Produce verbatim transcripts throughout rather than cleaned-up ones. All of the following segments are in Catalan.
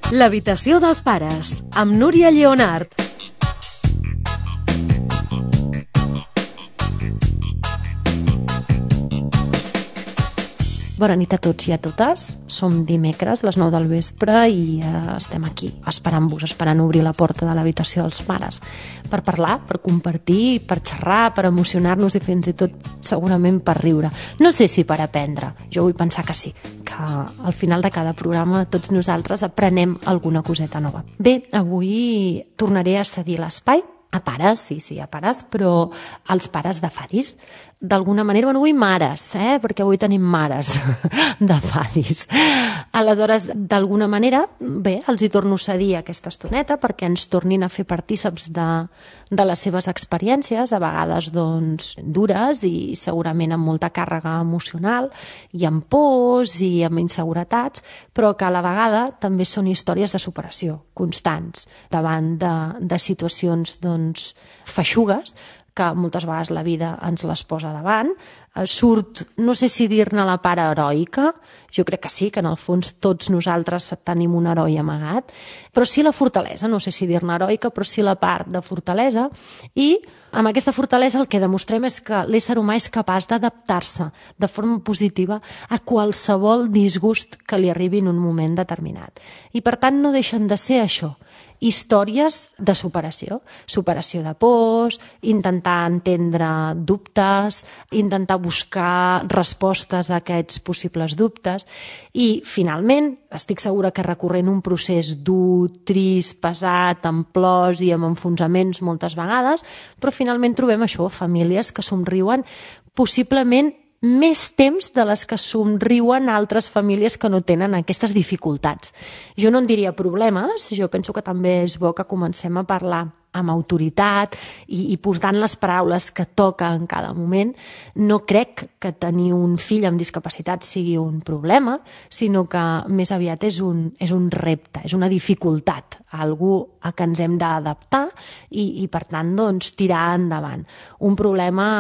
L'habitació dels pares, amb Núria Lleonart. Bona nit a tots i a totes. Som dimecres, les nou del vespre, i eh, estem aquí, esperant-vos, esperant obrir la porta de l'habitació dels pares, per parlar, per compartir, per xerrar, per emocionar-nos i fins i tot, segurament, per riure. No sé si per aprendre, jo vull pensar que sí, que al final de cada programa tots nosaltres aprenem alguna coseta nova. Bé, avui tornaré a cedir l'espai a pares, sí, sí, a pares, però als pares de Fadis. D'alguna manera, bueno, avui mares, eh? Perquè avui tenim mares de Fadis. Aleshores, d'alguna manera, bé, els hi torno a cedir aquesta estoneta perquè ens tornin a fer partíceps de, de les seves experiències, a vegades, doncs, dures i segurament amb molta càrrega emocional i amb pors i amb inseguretats, però que a la vegada també són històries de superació constants davant de, de situacions, doncs, feixugues, que moltes vegades la vida ens les posa davant. Surt, no sé si dir-ne la part heroica, jo crec que sí, que en el fons tots nosaltres tenim un heroi amagat, però sí la fortalesa, no sé si dir-ne heroica, però sí la part de fortalesa, i amb aquesta fortalesa el que demostrem és que l'ésser humà és capaç d'adaptar-se de forma positiva a qualsevol disgust que li arribi en un moment determinat. I per tant no deixen de ser això, històries de superació, superació de pors, intentar entendre dubtes, intentar buscar respostes a aquests possibles dubtes i, finalment, estic segura que recorrent un procés dur, trist, pesat, amb plors i amb enfonsaments moltes vegades, però finalment trobem això, famílies que somriuen possiblement més temps de les que somriuen altres famílies que no tenen aquestes dificultats. Jo no en diria problemes, jo penso que també és bo que comencem a parlar amb autoritat i, i posant les paraules que toca en cada moment. No crec que tenir un fill amb discapacitat sigui un problema, sinó que més aviat és un, és un repte, és una dificultat, algú a què ens hem d'adaptar i, i per tant, doncs, tirar endavant. Un problema...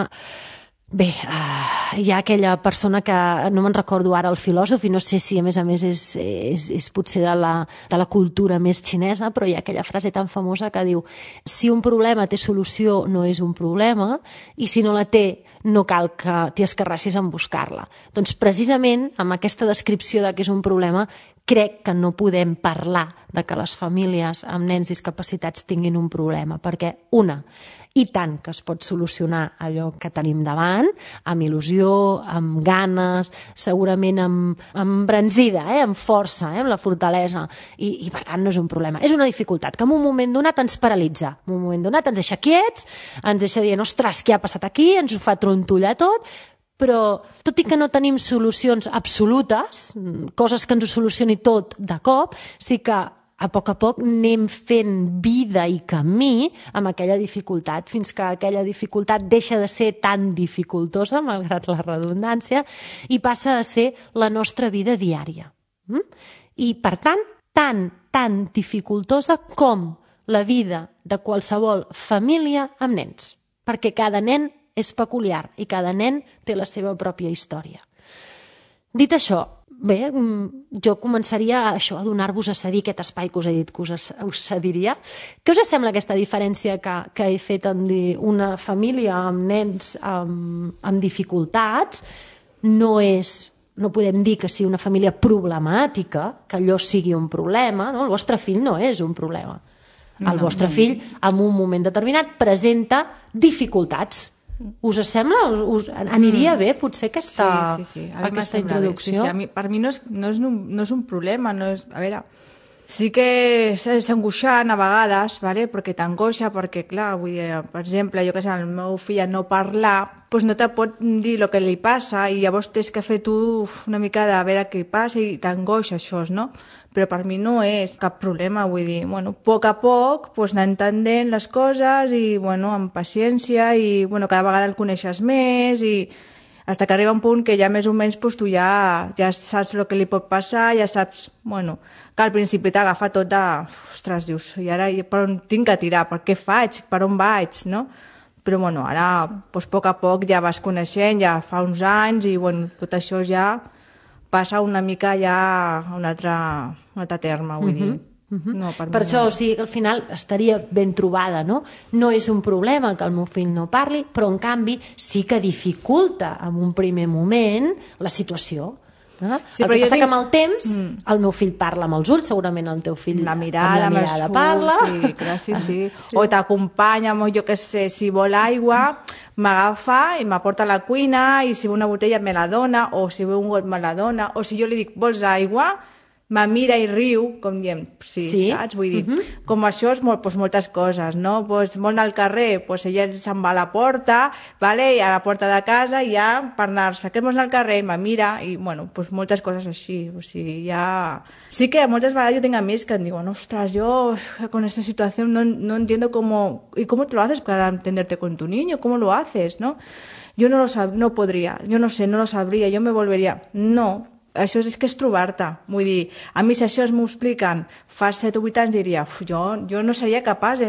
Bé, uh, hi ha aquella persona que, no me'n recordo ara el filòsof, i no sé si a més a més és, és, és potser de la, de la cultura més xinesa, però hi ha aquella frase tan famosa que diu: si un problema té solució no és un problema, i si no la té no cal que t'hi escarrassis en buscar-la. Doncs precisament amb aquesta descripció de què és un problema crec que no podem parlar de que les famílies amb nens discapacitats tinguin un problema, perquè una, i tant que es pot solucionar allò que tenim davant, amb il·lusió, amb ganes, segurament amb, amb embranzida, eh? Amb força, eh? Amb la fortalesa, i, i per tant no és un problema. És una dificultat que en un moment donat ens paralitza, en un moment donat ens deixa quiets, ens deixa dient, ostres, què ha passat aquí? Ens ho fa trontollar tot, però tot i que no tenim solucions absolutes, coses que ens ho solucioni tot de cop, sí que a poc a poc anem fent vida i camí amb aquella dificultat, fins que aquella dificultat deixa de ser tan dificultosa, malgrat la redundància, i passa a ser la nostra vida diària. I, per tant, tan, tan dificultosa com la vida de qualsevol família amb nens, perquè cada nen és peculiar i cada nen té la seva pròpia història. Dit això, bé, jo començaria a, això, a donar-vos a cedir aquest espai que us he dit que us, us cediria. Què us sembla aquesta diferència que, que he fet en dir una família amb nens amb, amb dificultats? No és, no podem dir que sigui una família problemàtica, que allò sigui un problema, no? El vostre fill no és un problema. El no, vostre no. fill, en un moment determinat, presenta dificultats. Us sembla? Us aniria bé, potser, aquesta, sí, sí, sí. aquesta introducció? Sí, sí. A mi, per mi no és, no, és un, no és un problema. No és, a veure, sí que és angoixant a vegades, vale? Perquè t'angoixa, perquè, clar, vull dir, per exemple, jo que sé, el meu fill a no parlar, doncs no te pot dir el que li passa i llavors tens que fer tu una mica de veure què passa i t'angoixa això, no? Però per mi no és cap problema, vull dir, bueno, a poc a poc pues, anar entenent les coses i, bueno, amb paciència i, bueno, cada vegada el coneixes més i fins que arriba un punt que ja més o menys pues, tu ja, ja saps el que li pot passar, ja saps, bueno, que al principi t'agafa tot de, ostres, dius, i ara per on tinc que tirar, per què faig, per on vaig, no? Però, bueno, ara, pues, a poc a poc ja vas coneixent, ja fa uns anys i, bueno, tot això ja passa una mica ja a un altre, un altre terme, vull mm-hmm. dir. Uh-huh. No, per, per això, no. O sigui, que al final estaria ben trobada, no? No és un problema que el meu fill no parli, però en canvi sí que dificulta en un primer moment la situació. No? Sí, el que passa tinc... que amb el temps mm. el meu fill parla amb els ulls, segurament el teu fill la mirada, amb la mirada parla. Sí, clar, sí, sí. sí. O t'acompanya, jo què sé, si vol aigua, m'agafa i m'aporta a la cuina i si ve una botella me la dona, o si ve un got me la dona, o si jo li dic, vols aigua? Me mira i riu, com diem, sí, sí? saps? Vull dir, uh-huh. com això és molt, doncs, moltes coses, no? Doncs, molt al carrer, doncs, ella se'n va a la porta, vale? I a la porta de casa ja per anar-se, que vols anar al carrer? Me mira, i bueno, doncs moltes coses així, o sigui, ja... Sí que moltes vegades jo tinc amics que em diuen, ostras, yo con esta situación no, no entiendo cómo... ¿Y cómo te lo haces para entenderte con tu niño? ¿Cómo lo haces, no? Yo no lo sab... no podría, yo no sé, no lo sabría, yo me volvería... No, això és que és trobar-te. Vull dir, a mi si això m'ho expliquen fa set o vuit anys diria, jo, jo no seria capaç. De...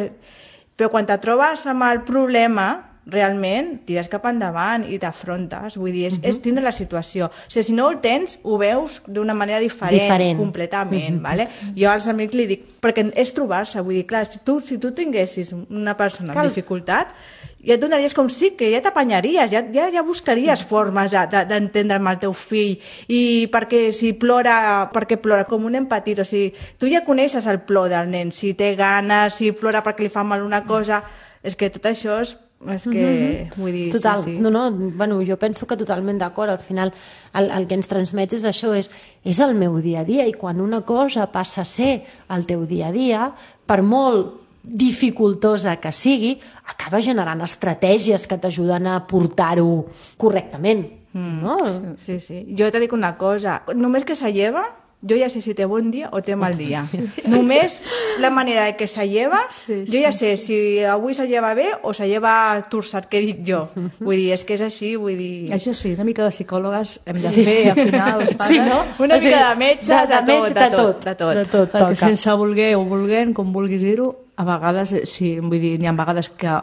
Però quan te trobes amb el problema, realment tires cap endavant i t'afrontes. Vull dir, és, uh-huh. és tindre la situació. O sigui, si no el tens, ho veus d'una manera diferent, diferent. completament. Uh-huh. Vale? Jo als amics li dic, perquè és trobar-se. Vull dir, clar, si tu, si tu tinguessis una persona Cal... amb dificultat, ja et donaries com sí, que ja t'apanyaries, ja, ja, ja buscaries formes d'entendre amb el teu fill, i perquè si plora, perquè plora com un nen petit, o sigui, tu ja coneixes el plor del nen, si té ganes, si plora perquè li fa mal una cosa, és que tot això és és que, mm-hmm. vull dir, Total, sí, sí. No, no, bueno, jo penso que totalment d'acord, al final el, el que ens transmets és això, és, és el meu dia a dia, i quan una cosa passa a ser el teu dia a dia, per molt dificultosa que sigui, acaba generant estratègies que t'ajuden a portar-ho correctament. Mm, no? Sí, sí. Jo te dic una cosa, només que se lleva, jo ja sé si té bon dia o té mal dia. Sí. Només la manera de que se lleva, sí, sí, jo ja sé sí. si avui se lleva bé o se lleva torçat, que dic jo. Vull dir, és que és així, vull dir... Això sí, una mica de psicòlogues hem de sí. fer, al final, els pares... Sí, no? Una o sigui, mica de metge, de, de, de, tot, de, tot, de tot, de tot. Perquè toca. Sense voler o volent, com vulguis dir-ho, a vegades, sí, vull dir, hi ha vegades que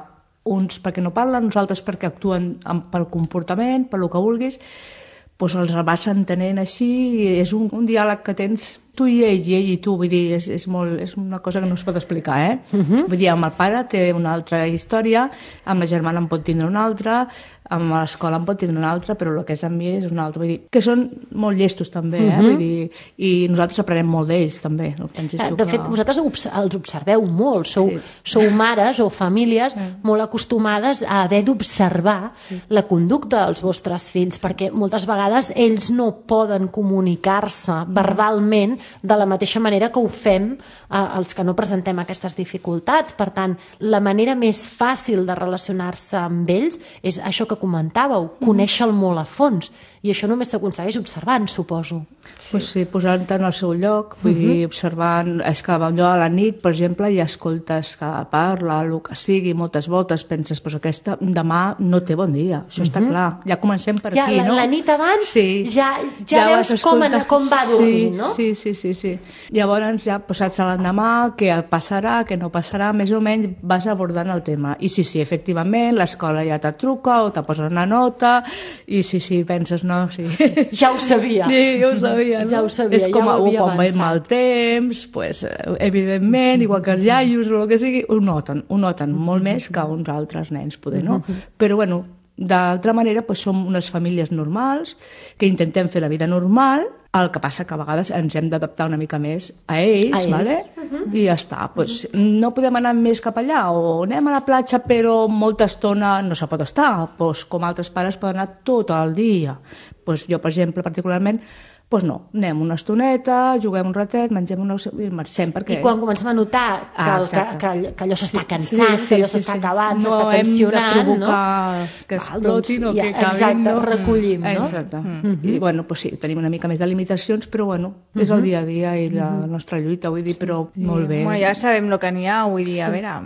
uns perquè no parlen, uns altres perquè actuen pel comportament, per lo que vulguis, doncs els vas entenent així, i és un, un diàleg que tens tu i ell, i ell i tu, vull dir, és, és, molt, és una cosa que no es pot explicar, eh? Uh-huh. Vull dir, amb el pare té una altra història, amb la germana en pot tindre una altra, amb l'escola en pot tindre una altra, però el que és amb mi és una altra. Vull dir, que són molt llestos també, eh? Uh-huh. Vull dir, i nosaltres aprenem molt d'ells també. No pensis tu, de fet, que... vosaltres els observeu molt, sou, sí. sou mares o famílies sí. molt acostumades a haver d'observar sí. la conducta dels vostres fills, perquè moltes vegades ells no poden comunicar-se uh-huh. verbalment de la mateixa manera que ho fem eh, els que no presentem aquestes dificultats. Per tant, la manera més fàcil de relacionar-se amb ells és això que comentàveu, conèixer-lo molt a fons, i això només s'aconsegueix observant, suposo. Sí, pues sí, posant-te en el seu lloc, vull uh-huh. dir, observant, és que allò a la nit, per exemple, i escoltes que parla, el que sigui, moltes voltes, penses, pues aquesta demà no té bon dia, això uh-huh. està clar, ja comencem per ja, aquí, la, no? La nit abans sí. ja, ja, ja veus com, en, com va dormir, sí, no? Sí, sí, sí, sí. Llavors ja posats a l'endemà, què passarà, què no passarà, més o menys vas abordant el tema. I sí, sí, efectivament, l'escola ja te truca o te posa una nota, i sí, sí, penses, no, sí. Ja ho sabia. Sí, ja ho sabia, no? Ja ho sabia, és com ja ho havia quan veiem mal temps, pues, evidentment, igual que els iaios o el que sigui, ho noten, ho noten molt més que uns altres nens, poder, no? Però, bueno, d'altra manera, pues, som unes famílies normals que intentem fer la vida normal, el que passa que a vegades ens hem d'adaptar una mica més a ells, a ells. Vale? Uh-huh. I ja està. Pues, no podem anar més cap allà, o anem a la platja però molta estona no se pot estar, pues, com altres pares poden anar tot el dia. Pues, jo, per exemple, particularment, doncs no, anem una estoneta, juguem un ratet, mengem una... i marxem, perquè... I quan comencem a notar que, ah, el, que, que, que allò s'està cansant, sí, sí, que allò s'està sí, sí. acabant, no s'està tensionant, no? No hem de provocar que explotin doncs, o que ja, acabin, exacte, no? recollim, no? Exacte. Mm-hmm. I, bueno, pues sí, tenim una mica més de limitacions, però, bueno, és mm-hmm. el dia a dia i la mm-hmm. nostra lluita, vull dir, però sí. molt bé. Bueno, ja sabem el que n'hi ha, vull dir, sí. a veure,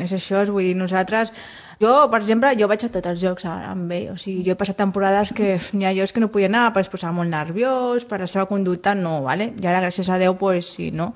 és això, vull dir, nosaltres... Jo, per exemple, jo vaig a tots els jocs amb ell, o sigui, jo he passat temporades que n'hi ha jocs que no podia anar, perquè es posava molt nerviós, per la seva conducta no, ¿vale? I ara, gràcies a Déu, pues sí, no?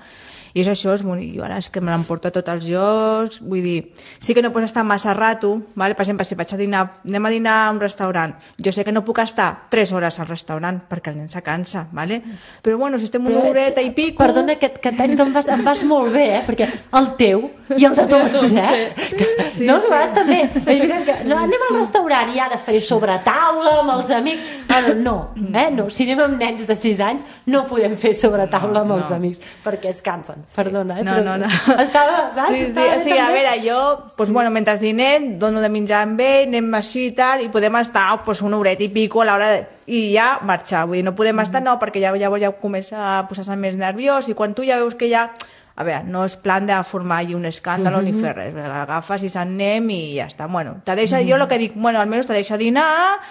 I és això, és bonic. Jo ara és que me l'emporto a tots els llocs, vull dir, sí que no pots estar massa rato, vale? Per exemple, si vaig a dinar, anem a dinar a un restaurant, jo sé que no puc estar tres hores al restaurant perquè el nen se cansa, vale? Però bueno, si estem una horeta i pico... Perdona, que, que tens que em vas, em vas molt bé, eh? Perquè el teu i el de tots, eh? Sí, sí, no, sí. vas també. Que, no, anem al restaurant i ara faré sobre taula amb els amics. Ah, no, eh? No, si anem amb nens de sis anys no podem fer sobre taula amb els no. amics perquè es cansen. Perdona, eh? No, Però no, no. Estava, saps? Sí, sí, Estava sí, a veure, jo, pues, bueno, mentre dinem, dono de menjar amb ell, anem així i tal, i podem estar pues, una horeta i pico a l'hora de... i ja marxar, vull dir, no podem estar, no, perquè ja, llavors ja comença a posar-se més nerviós, i quan tu ja veus que ja... A veure, no és plan de formar allí un escàndol mm-hmm. ni fer res, l'agafes i s'anem i ja està. Bueno, te deixa, mm-hmm. jo el que dic, bueno, almenys te deixa dinar,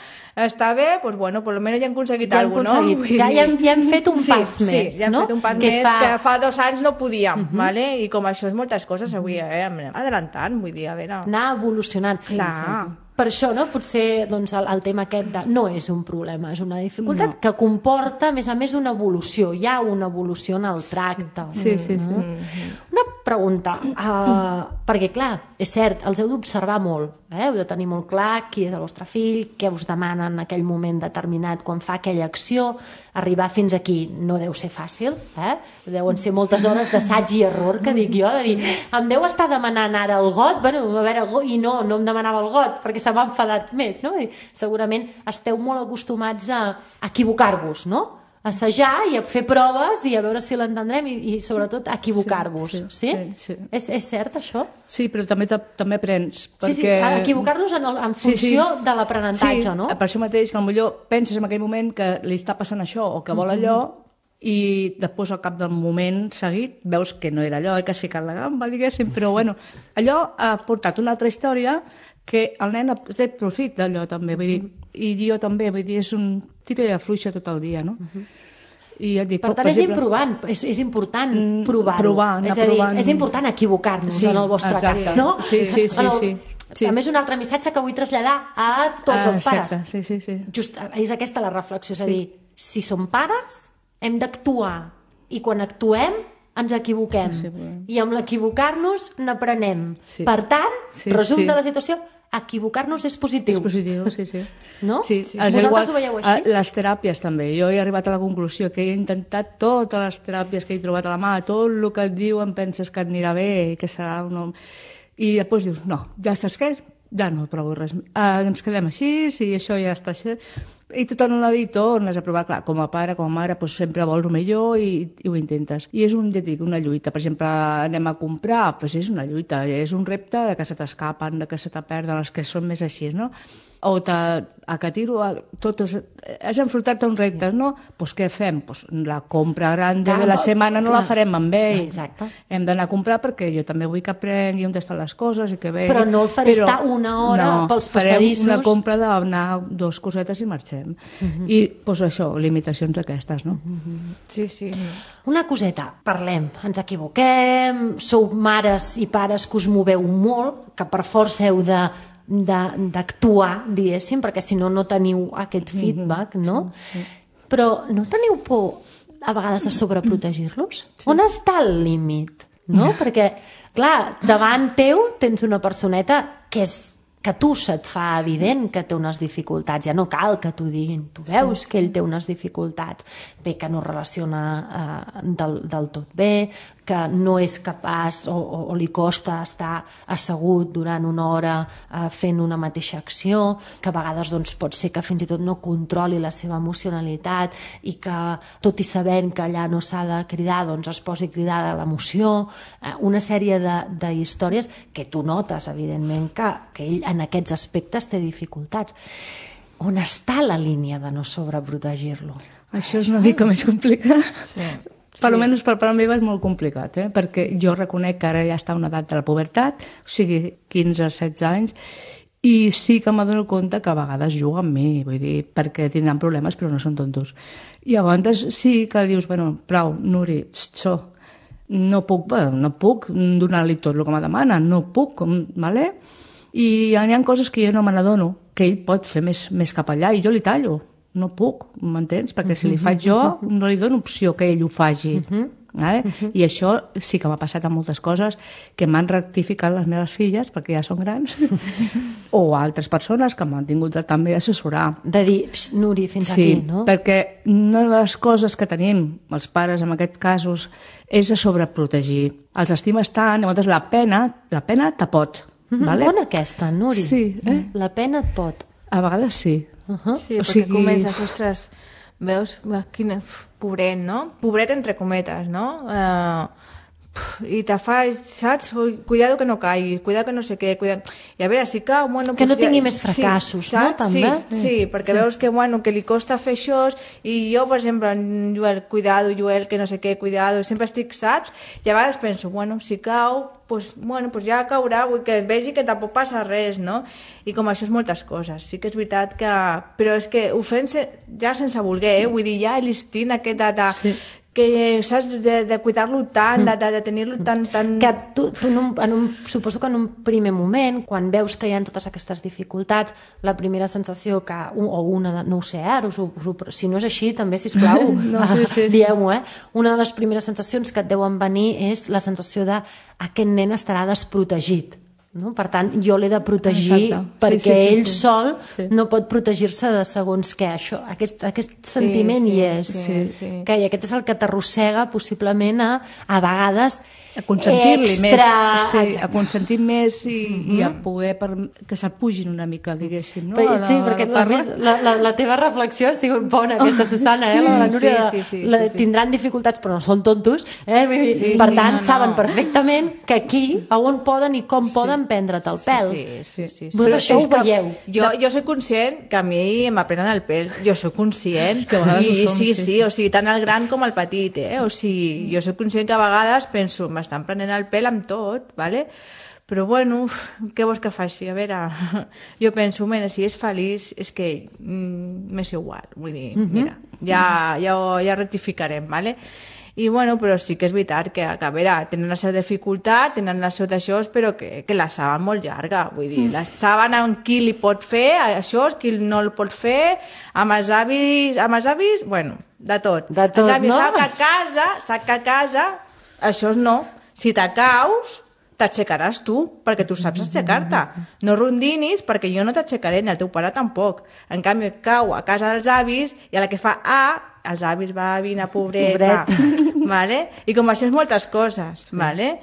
està bé, pues bueno, por lo menos ja hem aconseguit ja hem alguna cosa, no? Ja, ja, hem, ja hem fet un sí, pas sí, més, ja hem no? fet un pas que més fa... que fa dos anys no podíem, mm-hmm. vale? I com això és moltes coses, avui eh, anem adelantant, vull dir, a veure... Anar evolucionant. Clar. Per això, no? Potser doncs, el, el tema aquest de... no és un problema, és una dificultat no. que comporta, a més a més, una evolució. Hi ha una evolució en el tracte. Sí, sí, sí. Mm-hmm. Una pregunta, uh, perquè, clar, és cert, els heu d'observar molt, eh? Heu de tenir molt clar qui és el vostre fill, què us demana en aquell moment determinat quan fa aquella acció. Arribar fins aquí no deu ser fàcil, eh? Deuen ser moltes hores d'assaig i error, que dic jo, de dir, em deu estar demanant ara el got, bueno, a veure, i no, no em demanava el got, perquè se m'ha enfadat més, no? I segurament esteu molt acostumats a equivocar-vos, no? A assajar i a fer proves i a veure si l'entendrem i, i sobretot a equivocar-vos, sí? sí, sí? sí, sí. És, és cert, això? Sí, però també també aprens. Perquè... Sí, sí, equivocar-nos en, en funció sí, sí. de l'aprenentatge, sí, no? Per això mateix, que potser penses en aquell moment que li està passant això o que vol allò, i després al cap del moment seguit veus que no era allò, que has ficat la gamba, diguéssim, però bueno, allò ha portat una altra història que el nen ha tret profit d'allò també, vull dir, i jo també, vull dir, és un tira i afluixa tot el dia, no? Uh-huh. I ja et dic, per tant, per és exemple, improvant, és, és important provar-ho. Provar, és a dir, provant... és important equivocar-nos sí, en el vostre exacte. Cas, no? Sí, sí, sí. El... sí. Sí. A més, un altre missatge que vull traslladar a tots ah, els pares. Exacte. Sí, sí, sí. Just, és aquesta la reflexió, és sí. a dir, si som pares, hem d'actuar, i quan actuem ens equivoquem, sí, i amb l'equivocar-nos n'aprenem. Sí. Per tant, sí, resum sí. de la situació, equivocar-nos és positiu. És positiu, sí, sí. No? Sí, sí. Vosaltres igual, ho veieu així? Les teràpies també. Jo he arribat a la conclusió que he intentat totes les teràpies que he trobat a la mà, tot el que et diuen penses que et anirà bé, que serà un home... I després dius, no, ja saps què? Ja no provo res. Uh, ens quedem així, i això ja està així. I tu tornes a la vida i tornes a provar, clar, com a pare, com a mare, doncs sempre vols el millor i, i ho intentes. I és un, ja dic, una lluita. Per exemple, anem a comprar, doncs és una lluita, és un repte de que se t'escapen, de que se te perden, els que són més així, no? O te, a que tiro, a, totes, has enfrontat-te a un repte, sí. no? Doncs què fem? Pues la compra gran de la setmana no clar. La farem amb ell. Exacte. Hem d'anar a comprar perquè jo també vull que aprengui on estan les coses i que vegi. Però no el faré Però, estar una hora no, pels passadissos. Farem una compra d'anar dos cosetes i marxem. Uh-huh. I doncs això, limitacions aquestes, no? Uh-huh. Sí, sí. Una coseta, parlem, ens equivoquem, sou mares i pares que us moveu molt, que per força heu de d'actuar, diguéssim, perquè si no, no teniu aquest feedback, no? Sí, sí. Però no teniu por a vegades de sobreprotegir-los? Sí. On està el límit? No? Perquè, clar, davant teu tens una personeta que és que tu se't fa evident que té unes dificultats, ja no cal que t'ho diguin, tu veus sí, que ell té unes dificultats, bé, que no relaciona eh, del, del tot bé, que no és capaç o, o, o li costa estar assegut durant una hora eh, fent una mateixa acció, que a vegades doncs, pot ser que fins i tot no controli la seva emocionalitat i que, tot i sabent que allà no s'ha de cridar, doncs es posi cridada l'emoció, eh, una sèrie de, de històries que tu notes, evidentment, que, que ell en aquests aspectes té dificultats. On està la línia de no sobreprotegir-lo? Això és una mica més complicat. Sí. Per sí. Almenys per part meva és molt complicat, eh? Perquè jo reconec que ara ja està una edat de la pubertat, o sigui, quinze o setze anys, i sí que m'adono compte que a vegades juga amb mi, vull dir, perquè tindran problemes però no són tontos. I a vegades sí que dius, bueno, prou, Nuri, xo, no puc, bueno, no puc donar-li tot el que me demana, no puc, vale? I hi ha coses que jo no me n'adono, que ell pot fer més, més cap allà, i jo li tallo. No puc, m'entens? Perquè si li faig jo, no li dono opció que ell ho faci. Uh-huh. Vale? Uh-huh. I això sí que m'ha passat amb moltes coses que m'han rectificat les meves filles, perquè ja són grans, o altres persones que m'han tingut de també assessorar. De dir, Núria, fins sí, aquí, no? Perquè una de les coses que tenim els pares en aquests casos és a sobreprotegir. Els estimes tant, llavors la pena, la pena te pot. Mm-hmm. Vale? Bona aquesta, Núria. Sí, eh? La pena et pot. A vegades sí. Uh-huh. Sí, o perquè sigui... comences, ostres, veus, quin pobret, no? Pobret entre cometes, no? Uh, I te fa, saps? Ui, cuidado que no caigui, cuidado que no sé què, cuidado... I a veure, si cau... Bueno, que pues no tingui ja... més fracassos, sí, no? Saps? També? Sí, sí, perquè sí. Veus que, bueno, que li costa fer això, i jo, per exemple, Joel, cuidado, Joel, que no sé què, cuidado, sempre estic, saps? I a vegades penso, bueno, si cau, pues, bueno, pues ja caurà, vull que vegi que tampoc passa res, no? I com això és moltes coses. Sí que és veritat que... Però és que ho fem ja sense voler, eh? Vull dir, ja l'instint aquest de... de... Sí. Que saps, de, de cuidar-lo tant, de, de, de tenir-lo tan... tan... Que tu, tu en un, en un, suposo que en un primer moment, quan veus que hi ha totes aquestes dificultats, la primera sensació que, o una, de, no ho sé, ara, us ho, us ho, si no és així, també, sisplau, no, sí, sí, sí. dieu-ho, eh? Una de les primeres sensacions que et deuen venir és la sensació de aquest nen estarà desprotegit. No? Per tant, jo l'he de protegir. Exacte. Perquè sí, sí, sí, ell sí. sol sí. no pot protegir-se de segons què. Això, aquest, aquest sentiment sí, sí, hi és. Sí, sí. Que, I aquest és el que t'arrossega possiblement a, a vegades a consentir-li extra... més, sí, a consentir més i, mm-hmm. i a poder per... que s'apugin una mica, diguéssim. No? Però, sí, perquè la, la, la, la teva reflexió és bona, aquesta Susana, eh? La, la Núria, sí, sí, sí, la, sí, sí. tindran dificultats però no són tontos, eh? Sí, per sí, tant no, no. saben perfectament que aquí a on poden i com sí. poden prendre't el pèl. Sí, sí, sí. sí. Però això ho veieu. Jo, jo soc conscient que a mi m'aprenen el pèl, jo soc conscient, és que a vegades i ho som, sí, sí, sí, sí, o sigui, tant el gran com el petit, eh? O sigui, jo soc conscient que a vegades penso, m'estan prenent el pèl amb tot, ¿vale? Però bueno, què vols que faci? A veure, jo penso, mira, si és feliç, és que mm, m'és igual, vull dir, mm-hmm. mira, ja, ja, ja rectificarem, ¿vale? I bueno, però sí que és veritat que, que a veure, tenen la seva dificultat, tenen la seva d'això, però que, que la saben molt llarga, vull dir, la saben amb qui li pot fer això, qui no el pot fer, amb els avis, amb els avis, bueno, de tot. De tot, en canvi, no? sap que a casa, sap que a casa, això no. Si te caus, t'aixecaràs tu, perquè tu saps aixecar-te. No rondinis, perquè jo no t'aixecaré, ni el teu pare tampoc. En canvi, cau a casa dels avis i a la que fa A, els avis va, vine, pobret, pobret. Va. Vale? I com això és moltes coses, sí. Vale?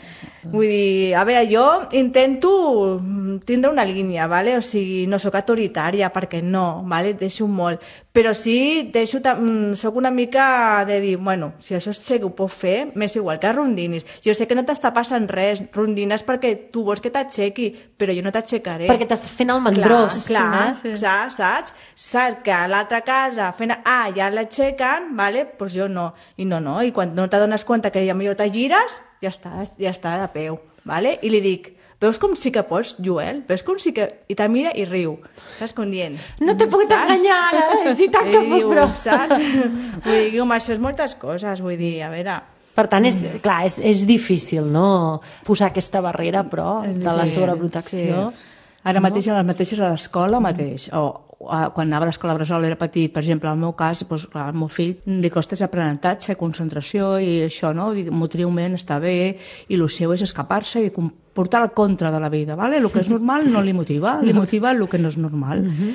Vull dir, a veure, jo intento tindre una línia, vale? O sigui, no sóc autoritària, perquè no, vale? Deixo molt, però sí deixo, soc una mica de dir, bueno, si això sé que ho puc fer, m'és igual que rondinis. Jo sé que no t'està passant res, rondines perquè tu vols que t'aixequi, però jo no t'aixecaré. Perquè t'estàs fent el mandrós. Clar, clar, sí. saps? saps? Saps que a l'altra casa fent A ja l'aixequen, vale? Pues jo no. I no, no. I quan no t'adones compte que ja millor te gires, ja està, ja està de peu, vale? I li dic, veus com sí que pots, Joel? Veus com sí que... I te mira i riu, saps? Com dient... No t'he pogut enganyar ara, si tant que puc, però... Saps? Vull dir, com això és moltes coses, vull dir, a veure... Per tant, és, clar, és, és difícil, no?, posar aquesta barrera, però, de la sobreprotecció. Sí. Ara mateix, a les mateixes a l'escola mateix, o quan anava a l'escola bressol era petit, per exemple, al meu cas, doncs, al meu fill li costa aprenentatge, concentració i això, no? Motriument està bé i el seu és escapar-se i portar el contra de la vida, ¿vale? El que és normal no li motiva, li motiva el que no és normal. Uh-huh.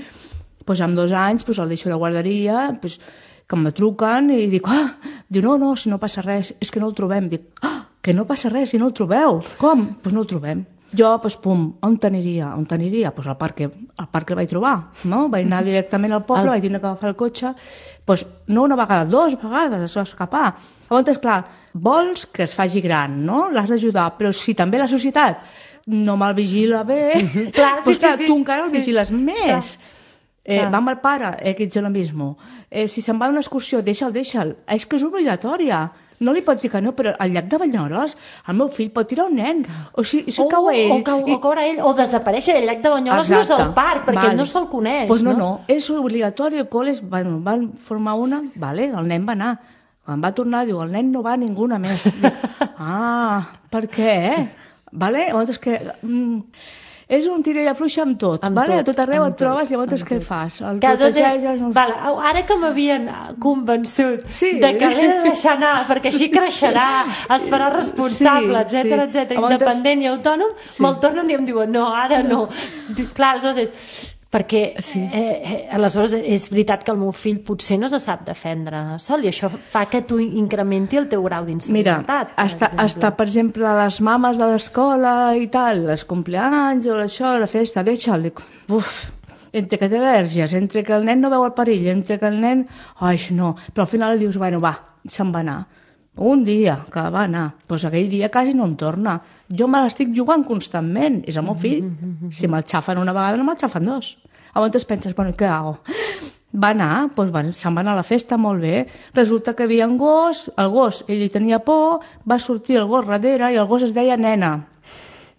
Pues amb dos anys pues, el deixo a la guarderia, pues, que me truquen i dic, ah, diu, no, no, si no passa res, és que no el trobem. Dic, ah, que no passa res, si no el trobeu. Com? Doncs pues no el trobem. Jo, doncs, pum, on t'aniria? On t'aniria? Doncs al parc, al parc el vaig trobar, no? Vaig anar directament al poble, el... vaig tenir que agafar el cotxe, doncs no una vegada, dues vegades es va escapar. Llavors, clar, vols que es faci gran, no? L'has d'ajudar, però si també la societat no me'l vigila bé, mm-hmm. clar, sí, doncs, clar, sí, sí, tu encara el sí. vigiles més. Eh, ah. va amb el pare, eh, que ets el mismo. Eh, si se'n va a una excursió, deixa'l, deixa'l. És que és obligatòria. No li pots dir que no, però al llac de Banyoles el meu fill pot tirar un nen. O si, si o, cau ell... O, cau, i... o caure ell, o desaparèixer. El llac de Banyoles Exacte. No és el parc, perquè vale. No se'l coneix. Pues no, no, no, és obligatori. El col·le bueno, van formar una, vale, el nen va anar. Quan va tornar, diu, el nen no va ninguna més. Dic, ah, per què? Vale? Llavors, que... Mm, és un tira i afluixa amb tot, amb vale? tot, a tot arreu et tot, trobes, llavors què fas? El protegeixes... no... Vale, ara que m'havien convençut sí. de que l'he de deixar anar, perquè així creixerà, es farà responsable, sí, etcètera, sí. etcètera, independent i autònom, sí. me'l tornen i em diuen, no, ara no. no. Clar, aleshores és... perquè sí. eh, eh, aleshores és veritat que el meu fill potser no se sap defendre sol i això fa que tu incrementi el teu grau d'inseguretat. Mira, hasta, hasta, per exemple, les mames de l'escola i tal, les compleanys o això, la festa, deixa'l, uf, entre que té al·lèrgies, entre que el nen no veu el perill, entre que el nen... Ai, no, però al final li dius, bueno, va, se'n va anar. Un dia que va anar, doncs aquell dia quasi no em torna. Jo me l'estic jugant constantment, és el meu fill. Si me'l xafen una vegada, no me'l xafen dos. Llavors penses, bueno, què hago? Va anar, doncs va, se'n va anar a la festa, molt bé. Resulta que hi havia un gos, el gos, ell hi tenia por, va sortir el gos darrere i el gos es deia nena.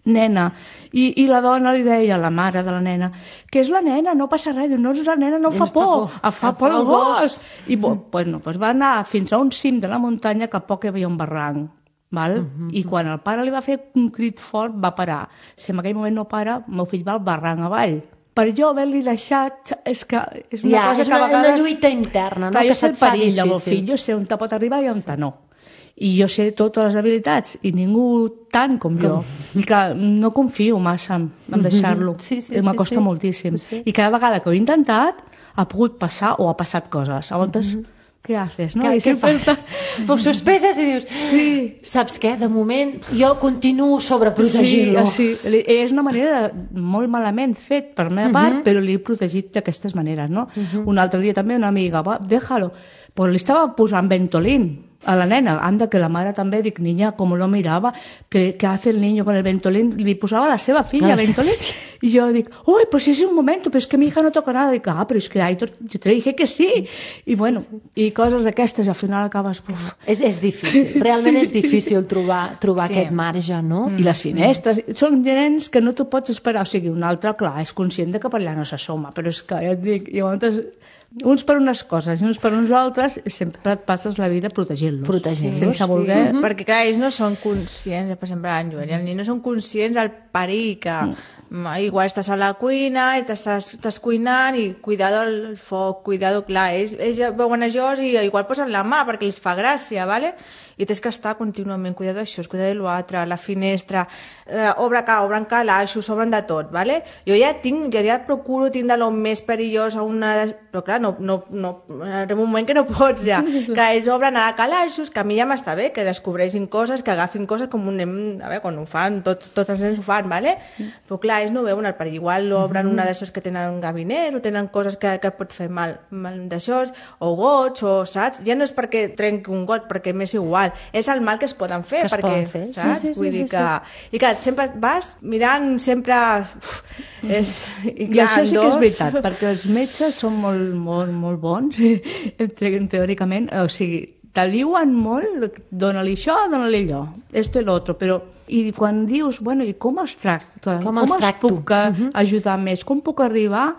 Nena. I, i la dona li deia, la mare de la nena, que és la nena, no passa res, no és la nena, no fa por, por. fa por el gos. I bueno, doncs va anar fins a un cim de la muntanya que a poc hi havia un barranc. Val? Uh-huh. I quan el pare li va fer un crit fort, va parar. Si en aquell moment no para, el meu fill va al barranc avall. Per jo haver-li deixat, és que és una ja, cosa és que a una, vegades... una lluita interna, no? Clar, Que jo sé el se't fa perill del meu difícil. fill, jo sé on te pot arribar i on te no. I jo sé totes les habilitats, i ningú tant com, com? jo. I que no confio massa en, en deixar-lo. Sí, sí, M'acosta sí, sí. moltíssim. Sí, sí. I cada vegada que ho he intentat, ha pogut passar o ha passat coses. Llavors, mm-hmm. què haces, no? Què, I què sempre fas? Ho sospeses i dius, sí. saps què? De moment jo continuo sobreprotegint-lo. Sí, sí, és una manera molt malament fet per la meva part, uh-huh. però l'he protegit d'aquestes maneres, no? Uh-huh. Un altre dia també una amiga, va, déjalo, pues li estava posant Ventolin a la nena, anda, que la mare també, dic, niña, com lo mirava, que, que hace el niño con el Ventolin, li posava a la seva filla ah, Ventolin, sí. I jo dic, uy, pues es un momento, pero es que mi hija no toca nada, dic, ah, pero es que Aitor, yo te dije que sí, i bueno, i coses d'aquestes, al final acabes... Uf. És, és difícil, realment sí. és difícil trobar, trobar sí. aquest marge, no? Mm. I les finestres, mm. són nens que no t'ho pots esperar, o sigui, un altre, clar, és conscient de que per allà no s'assoma, però és que, ja et dic, llavors... uns per unes coses i uns per uns altres, sempre et passes la vida protegint-los. Protegint-los, sense voler... Sí. Mm-hmm. Perquè, clar, ells no són conscients, per exemple, en Joel i el nen no són conscients del perill que... Mm. Igual estàs a la cuina i estàs, estàs cuinant i cuidado el foc, cuidado, clar, ells, ells veuen això i igual posen la mà perquè els fa gràcia, ¿vale? I tens que estar contínuament, cuidado d'això, cuidado de l'altre, la finestra, eh, obre ca, obren calaixos, obren de tot, ¿vale? Jo ja tinc, ja, ja procuro tindre lo més perillós a una... Però clar, no, no, no, en un moment que no pots ja, que ells obren a calaixos, que a mi ja m'està bé, que descobreixin coses, que agafin coses com un nen, a veure, quan ho fan, tot, tots els nens ho fan, ¿vale? Però clar, ells no veuen el perill, igual obren una d'aixòs que tenen un gabinet o tenen coses que, que pot fer mal, mal d'aixòs, o gots, o saps? Ja no és perquè trenqui un got, perquè m'és igual, és el mal que es poden fer, que perquè, fer. saps? Sí, sí, sí, Vull dir sí, que... sí. I que sempre vas mirant, sempre... Uf, és... I, clar, I això sí que és veritat, perquè els metges són molt, molt, molt bons, teòricament, o sigui, te liuen molt, dona-li això, dona-li allò, esto i l'altre, però i quan dius, bueno, i com els tracto? Com, com els, els tracto? puc uh-huh. ajudar més? Com puc arribar?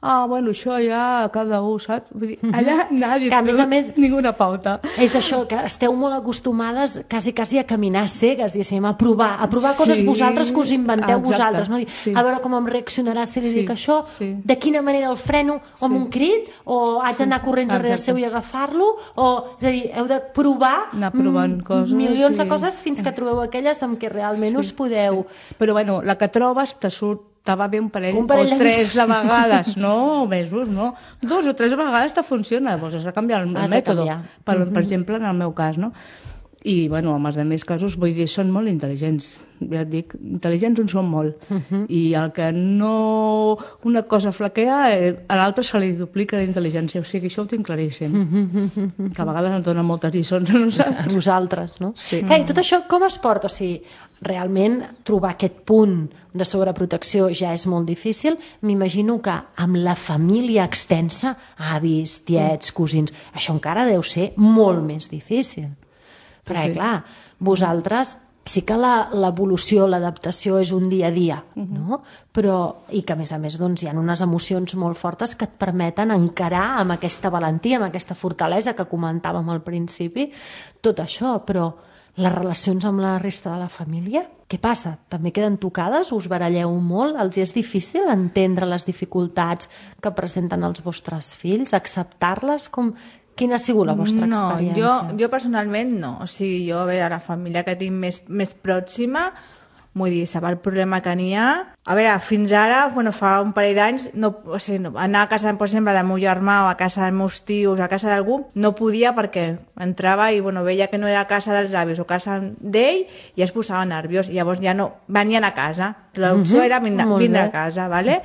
Ah, bueno, això ja cada un, saps? Vull dir, allà nadie que, a més a més, ninguna pauta. És això, que esteu molt acostumades quasi, quasi a caminar cegues, diguéssim, a provar, a provar sí, coses vosaltres que us inventeu exacte, vosaltres, no? Sí. A veure com em reaccionarà si li sí, dic això, sí. de quina manera el freno, o amb sí. un crit, o haig d'anar sí, corrents darrere seu i agafar-lo, o, és a dir, heu de provar anar provant m- coses, milions sí. de coses fins que trobeu aquelles amb què realment sí, us podeu... Sí. Però, bueno, la que trobes te surt te va bé un parell, un parell o tres de vegades, no mesos, no? Dos o tres vegades te funciona, doncs has de canviar el has mètode, per, uh-huh. per exemple, en el meu cas, no? I, bueno, en els altres casos, vull dir, són molt intel·ligents, ja et dic, intel·ligents en són molt, uh-huh. i el que no... una cosa flaquea, eh, a l'altre se li duplica d'intel·ligència, o sigui, això ho tinc claríssim, uh-huh. que a vegades em donen moltes lliçons, no saps? A vosaltres, no? Sí. Que, i tot això com es porta? O sigui, realment trobar aquest punt de sobreprotecció ja és molt difícil. M'imagino que amb la família extensa, avis, tiets, cosins, això encara deu ser molt més difícil. Perquè, sí. clar, vosaltres sí que la, l'evolució, l'adaptació és un dia a dia, no? Però, i que a més a més doncs, hi ha unes emocions molt fortes que et permeten encarar amb aquesta valentia, amb aquesta fortalesa que comentàvem al principi, tot això, però Les relacions amb la resta de la família, què passa? També queden tocades? Us baralleu molt? Els és difícil entendre les dificultats que presenten els vostres fills? Acceptar-les? Com... Quina ha sigut la vostra no, experiència? Jo, jo personalment no. O sigui, jo, a veure, la família que tinc més, més pròxima, vull dir, sap el problema que n'hi ha. A veure, fins ara, bueno, fa un parell d'anys, no, o sigui, no, anar a casa, per exemple, del meu germà o a casa dels meus tios, a casa d'algú, no podia perquè entrava i, bueno, veia que no era a casa dels avis o casa d'ell i es posava nerviós. I llavors ja no, venien a casa. L'opció Mhm, era vindre, vindre a casa, ¿vale?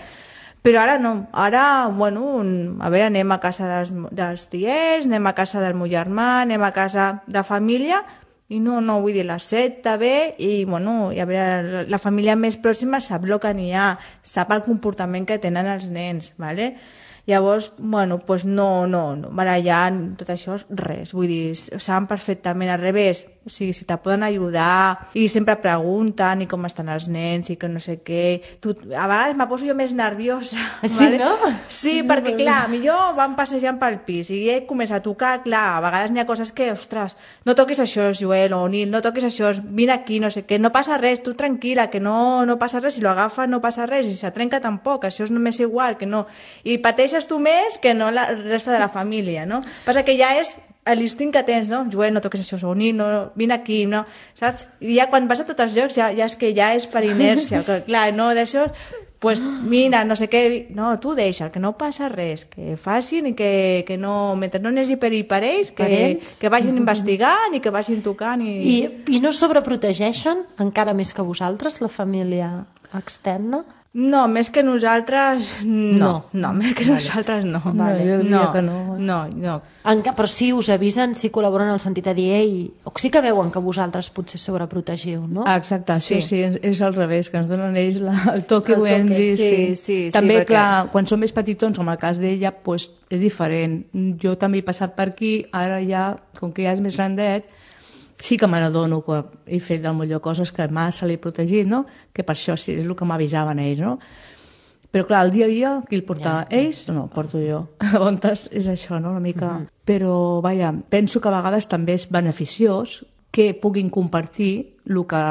Però ara no, ara, bueno, a veure, anem a casa dels, dels tiets, anem a casa del meu germà, anem a casa de família, i no, no, vull dir, l'accepta bé, i, bueno, i a veure, la família més pròxima sap el que n'hi ha, sap el comportament que tenen els nens, ¿vale? Llavors, bueno, pues no, no, no, barallar, tot això, res, vull dir, saben perfectament al revés, o sigui, si te poden ajudar, i sempre pregunten i com estan els nens i que no sé què, tu, a vegades me poso jo més nerviosa, Sí, ¿vale? no? Sí, perquè clar, millor van passejant pel pis i ell comença a tocar, clar, a vegades n'hi ha coses que, ostres, no toquis això, Joel o Nil, no toquis això, vine aquí, no sé què, no passa res, tu tranquil·la, que no, no passa res, si lo agafa no passa res, i si se trenca tampoc, això és només igual, que no, i pateixes tu més que no la resta de la família, no? Passa que ja és l'instint que tens, no? Joel, no toquis això, Nil, no, vine aquí, no? Saps? I ja quan vas a tots els jocs ja, ja és que ja és per inèrcia, que clar, no, d'això pues mira, no sé què, no, tu deixa, que no passa res, que facin i que, que no, mentre no n'hagi perill per ells, que, que vagin investigant i que vagin tocant. I... I, I no sobreprotegeixen encara més que vosaltres, la família externa? No, més que nosaltres, no. No. No, més que vale. nosaltres no. Vale. No, jo diria no, que no. No, no. En cap, però sí us avisen, sí col·laboren en el sentit de dir, ei, o sí que veuen que vosaltres potser sobreprotegiu, no? Ah, exacte, sí, sí, sí, és al revés, que ens donen ells la, el toque, El vull toque, dir, sí, sí. sí, sí, També, perquè- clar, quan són més petitons, com el cas d'ella, pues, és diferent. Jo també he passat per aquí, ara ja, com que ja és més grandet, sí que me n'adono que he fet del millor coses que m'ha se l'he protegit, no? Que per això sí, és el que m'avisaven ells, no? Però clar, el dia a dia, qui el portava? Ja. Ells? No, el porto jo. A voltes és això, no?, una mica. Uh -huh. Però, vaja, penso que a vegades també és beneficiós que puguin compartir el que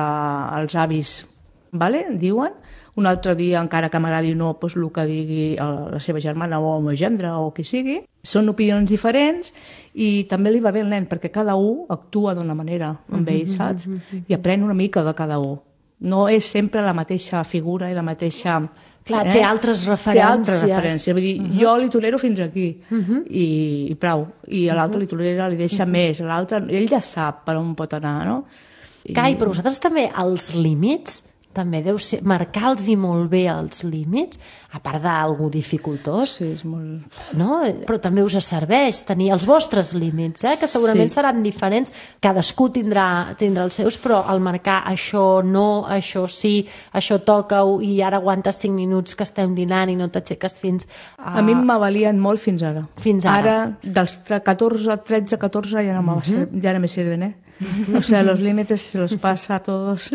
els avis, vale, diuen. Un altre dia, encara que m'agradi o no, doncs el que digui la seva germana o el meu gendre o qui sigui. Són opinions diferents i també li va bé al nen, perquè cada un actua d'una manera amb ell, saps? I aprèn una mica de cada un. No és sempre la mateixa figura i la mateixa... Clar, eh? té altres referències. Té altres referències. Vull dir, uh -huh. jo li tolero fins aquí uh -huh. i, i prou. I a l'altre uh -huh. li tolera, li deixa uh -huh. més. L'altre, ell ja sap per on pot anar, no? I... Cai, però vosaltres també els límits, també deu ser marcar-los molt bé els límits, a part d'algú dificultós, Sí, és molt... no? Però també us serveix tenir els vostres límits, eh? Que segurament Sí. seran diferents, cadascú tindrà, tindrà els seus, però al marcar això no, això sí, això toca-ho i ara aguantes cinc minuts que estem dinant i no t'aixeques fins a... A mi m'avalien molt fins ara. Fins ara. Ara, dels catorze, tretze, catorze ja no, uh -huh. ja no me sirven, eh? O sea, los límites se los pasa a todos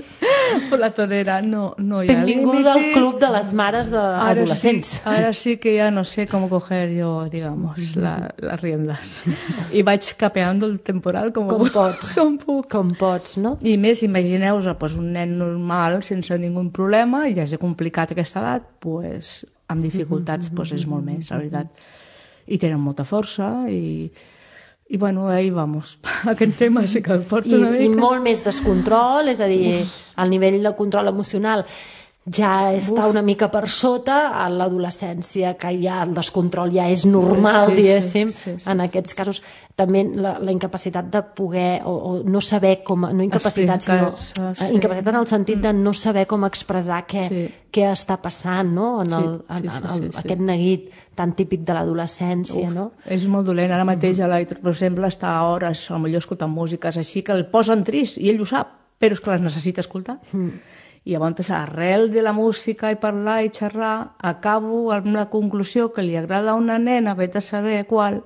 por la tonera. No, no hi ha Benvinguda límites. al club de les mares d'adolescents. Sí, ara sí que ja no sé cómo coger yo, digamos, la, las riendas. I vaig capeando el temporal com, Com pots. com puc. Com pots, no? I més, imagineu-vos pues, un nen normal sense ningú problema i ja és complicat aquesta edat, pues, amb dificultats pues, és molt més, la veritat. I tenen molta força i... I, bueno, ahí vamos. Aquest tema sí que el porto I, una mica. I molt més descontrol, és a dir, el nivell de control emocional ja està una mica per sota, a l'adolescència, que ja el descontrol ja és normal, Sí, sí, diguéssim, sí, sí, en sí. aquests casos. També la, la incapacitat de poder, o, o no saber com, no incapacitat, sinó Explicar-se, eh, sí. incapacitat en el sentit de no saber com expressar què, Sí. què està passant, no?, en, Sí, el, en, sí, sí, en sí, el, sí. aquest neguit tan típic de l'adolescència, Uf, no? És molt dolent. Ara mateix, a l'Aitor, per exemple, està a hores, potser escoltant músiques així, que el posen trist, i ell ho sap, però és que les necessita escoltar. Mm. I llavors, arrel de la música i parlar i xerrar, acabo amb la conclusió que li agrada a una nena, vet a saber qual,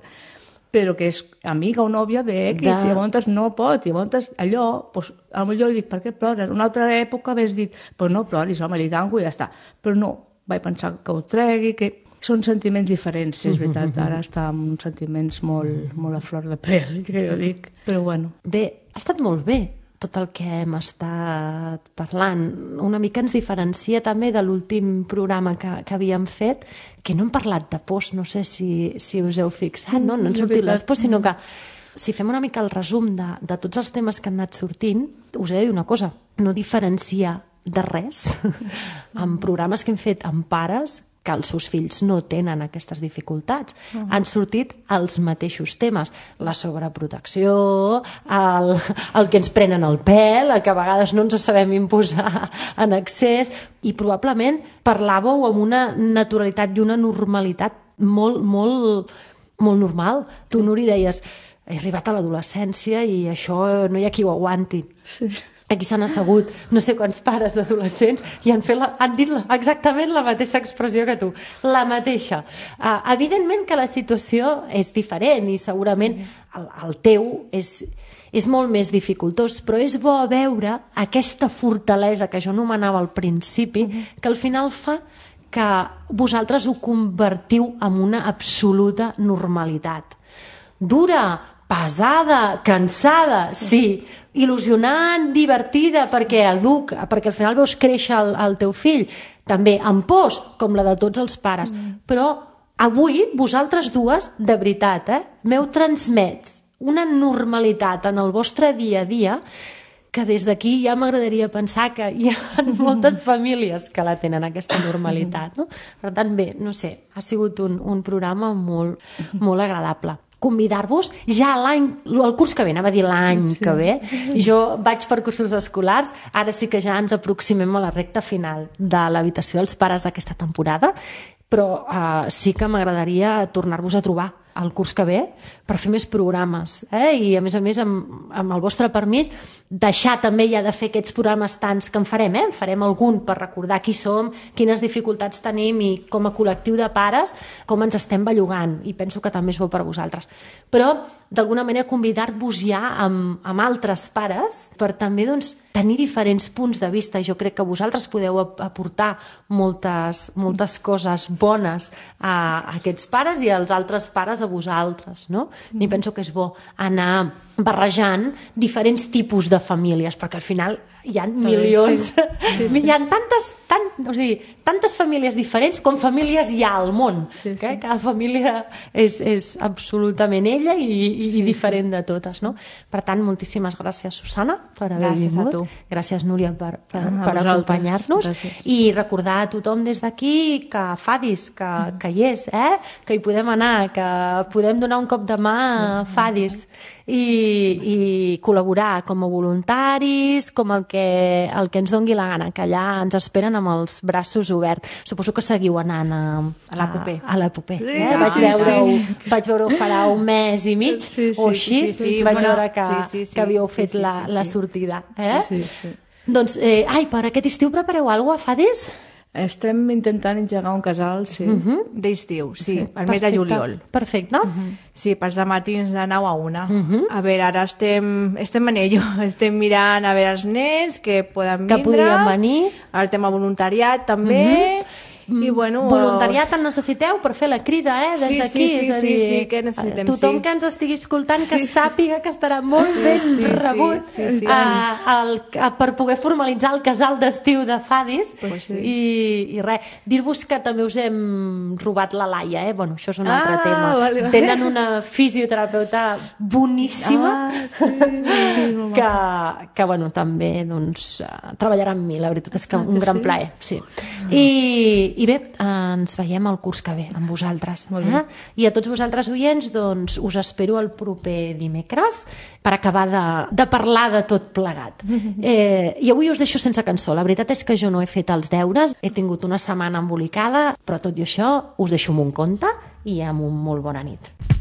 però que és amiga o nòvia d'X, De- i llavors no pot, i llavors allò, doncs, potser li dic, per què plores? Una altra època hagués dit, pues no ploris, home, li tanco i ja està. Però no, vaig pensar que ho tregui, que són sentiments diferents, sí, és veritat, ara està amb uns sentiments molt, molt a flor de pèl, que jo dic, però bueno. Bé, ha estat molt bé tot el que hem estat parlant. Una mica ens diferencia també de l'últim programa que, que havíem fet, que no hem parlat de pors, no sé si, si us heu fixat, no? No han sortit les pors, sinó que si fem una mica el resum de, de tots els temes que han anat sortint, us he de dir una cosa, no diferencia de res amb programes que hem fet amb pares que els seus fills no tenen aquestes dificultats. Uh -huh. Han sortit els mateixos temes. La sobreprotecció, el, el que ens prenen el pèl, el que a vegades no ens sabem imposar en excés, i probablement parlàveu amb una naturalitat i una normalitat molt, molt, molt normal. Tu, Nuri, deies, he arribat a l'adolescència i això no hi ha qui ho aguanti. Sí. Aquí s'han assegut no sé quants pares d'adolescents i han, fet la, han dit la, exactament la mateixa expressió que tu, la mateixa. Uh, evidentment que la situació és diferent i segurament el, el teu és, és molt més dificultós, però és bo veure aquesta fortalesa que jo anomenava al principi, que al final fa que vosaltres ho convertiu en una absoluta normalitat. Dura, pesada, cansada, sí, il·lusionant, divertida, perquè educa, perquè al final veus créixer el, el teu fill, també amb pors, com la de tots els pares. Mm. Però avui, vosaltres dues, de veritat, eh, m'heu transmès una normalitat en el vostre dia a dia que des d'aquí ja m'agradaria pensar que hi ha moltes famílies que la tenen, aquesta normalitat. No? Per tant, bé, no sé, ha sigut un, un programa molt, molt agradable. Convidar-vos ja l'any, el curs que ve, anava a dir l'any sí. que ve, jo vaig per cursos escolars, ara sí que ja ens aproximem a la recta final de l'habitació dels pares d'aquesta temporada, però eh, sí que m'agradaria tornar-vos a trobar el curs que ve per fer més programes, eh? I a més a més amb, amb el vostre permís deixar també ja de fer aquests programes tants que en farem, eh? En farem algun per recordar qui som, quines dificultats tenim i com a col·lectiu de pares com ens estem bellugant, i penso que també és bo per a vosaltres, però d'alguna manera convidar-vos ja amb, amb altres pares per també doncs, tenir diferents punts de vista. Jo crec que vosaltres podeu aportar moltes, moltes coses bones a, a aquests pares i als altres pares a vosaltres, no? Mm. I penso que és bo anar barrejant diferents tipus de famílies, perquè al final hi ha milions, sí. Sí, sí. Hi ha tantes, tant, o sigui, tantes famílies diferents com famílies hi ha al món. Sí, sí. Eh? Cada família és, és absolutament ella i, i sí, diferent sí. de totes. No? Per tant, moltíssimes gràcies, Susana, per haver gràcies vingut. A tu. Gràcies, Núria, per, per, ah, per acompanyar-nos. I recordar a tothom des d'aquí que Fadis, que, mm. que hi és, eh? Que hi podem anar, que podem donar un cop de mà a Fadis i, i col·laborar com a voluntaris, com el que, el que ens dongui la gana, que allà ens esperen amb els braços oberts. Suposo que seguiu anant a, a l'Epopé. A l'Epopé. Sí, eh? Vaig veure-ho sí. vaig veure farà un mes i mig sí, sí, o així, sí, sí, sí. vaig bueno, veure que, sí, sí, sí. que havíeu fet sí, sí, la, sí, sí. la sortida. Eh? Sí, sí. Doncs, eh, ai, per aquest estiu prepareu alguna cosa, Fadis? Estem intentant engegar un casal, sí. Uh -huh. D'estiu, sí, sí. el mes de juliol. Perfecte. Uh -huh. Sí, pels matins de nou a una. Uh -huh. A veure, ara estem, estem en ello, estem mirant a veure els nens que poden vindre. Que podrien venir. El tema voluntariat també. Uh -huh. I, bueno, voluntariat en necessiteu per fer la crida, eh, des sí, d'aquí. Sí, sí, és a dir, sí, sí, que necessitem, tothom sí. que ens estigui escoltant que sí, sàpiga que estarà molt sí, ben sí, rebut sí, sí, sí, a, a, a, per poder formalitzar el casal d'estiu de Fadis. Pues sí. I, i res, dir-vos que també us hem robat la Laia, eh? Bueno, això és un altre ah, tema. Vale, vale. Tenen una fisioterapeuta boníssima ah, sí, sí, que, que bueno, també doncs, treballarà amb mi, la veritat és que un gran sí? plaer. Sí. I, i bé, ens veiem el curs que ve amb vosaltres. Eh? I a tots vosaltres oients doncs, us espero el proper dimecres per acabar de, de parlar de tot plegat. Eh, I avui us deixo sense cançó. La veritat és que jo no he fet els deures, he tingut una setmana embolicada, però tot i això us deixo amb un conte i amb un molt bona nit.